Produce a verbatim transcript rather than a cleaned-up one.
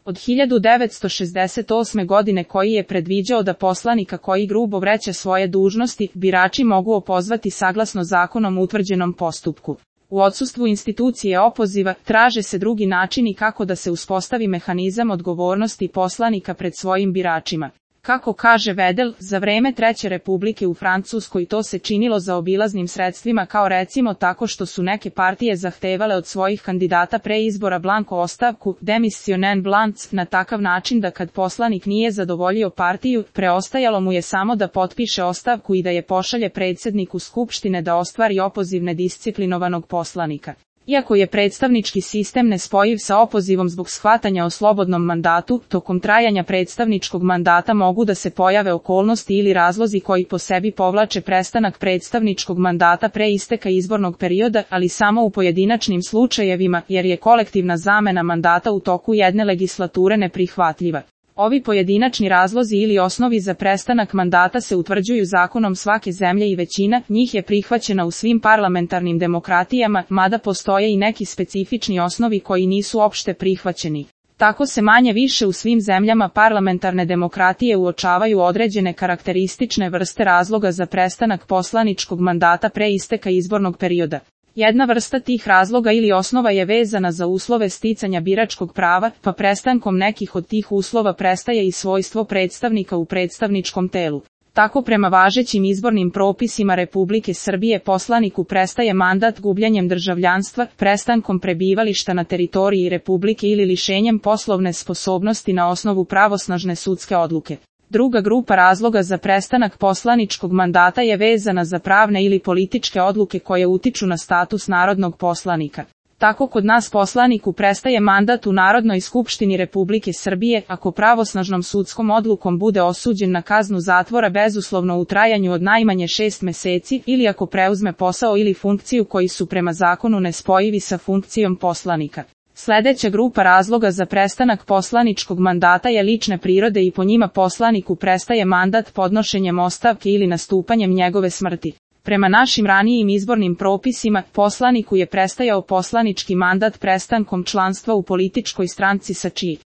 od hiljadu devetsto šezdeset osme. godine koji je predviđao da poslanika koji grubo vreća svoje dužnosti, birači mogu opozvati saglasno zakonom utvrđenom postupku. U odsustvu institucije opoziva, traže se drugi načini kako da se uspostavi mehanizam odgovornosti poslanika pred svojim biračima. Kako kaže Vedel, za vreme Treće republike u Francuskoj to se činilo zaobilaznim sredstvima, kao recimo tako što su neke partije zahtevale od svojih kandidata pre izbora blanko ostavku, demissionen blanc, na takav način da kad poslanik nije zadovoljio partiju, preostajalo mu je samo da potpiše ostavku i da je pošalje predsjedniku Skupštine da ostvari opoziv nedisciplinovanog poslanika. Iako je predstavnički sistem nespojiv sa opozivom zbog shvatanja o slobodnom mandatu, tokom trajanja predstavničkog mandata mogu da se pojave okolnosti ili razlozi koji po sebi povlače prestanak predstavničkog mandata pre isteka izbornog perioda, ali samo u pojedinačnim slučajevima, jer je kolektivna zamena mandata u toku jedne legislature neprihvatljiva. Ovi pojedinačni razlozi ili osnovi za prestanak mandata se utvrđuju zakonom svake zemlje i većina njih je prihvaćena u svim parlamentarnim demokratijama, mada postoje i neki specifični osnovi koji nisu opšte prihvaćeni. Tako se manje više u svim zemljama parlamentarne demokratije uočavaju određene karakteristične vrste razloga za prestanak poslaničkog mandata pre isteka izbornog perioda. Jedna vrsta tih razloga ili osnova je vezana za uslove sticanja biračkog prava, pa prestankom nekih od tih uslova prestaje i svojstvo predstavnika u predstavničkom telu. Tako prema važećim izbornim propisima Republike Srbije poslaniku prestaje mandat gubljenjem državljanstva, prestankom prebivališta na teritoriji Republike ili lišenjem poslovne sposobnosti na osnovu pravosnažne sudske odluke. Druga grupa razloga za prestanak poslaničkog mandata je vezana za pravne ili političke odluke koje utiču na status narodnog poslanika. Tako kod nas poslaniku prestaje mandat u Narodnoj skupštini Republike Srbije ako pravosnažnom sudskom odlukom bude osuđen na kaznu zatvora bezuslovno u trajanju od najmanje šest meseci ili ako preuzme posao ili funkciju koji su prema zakonu nespojivi sa funkcijom poslanika. Sljedeća grupa razloga za prestanak poslaničkog mandata je lične prirode i po njima poslaniku prestaje mandat podnošenjem ostavke ili nastupanjem njegove smrti. Prema našim ranijim izbornim propisima, poslaniku je prestajao poslanički mandat prestankom članstva u političkoj stranci sa čiji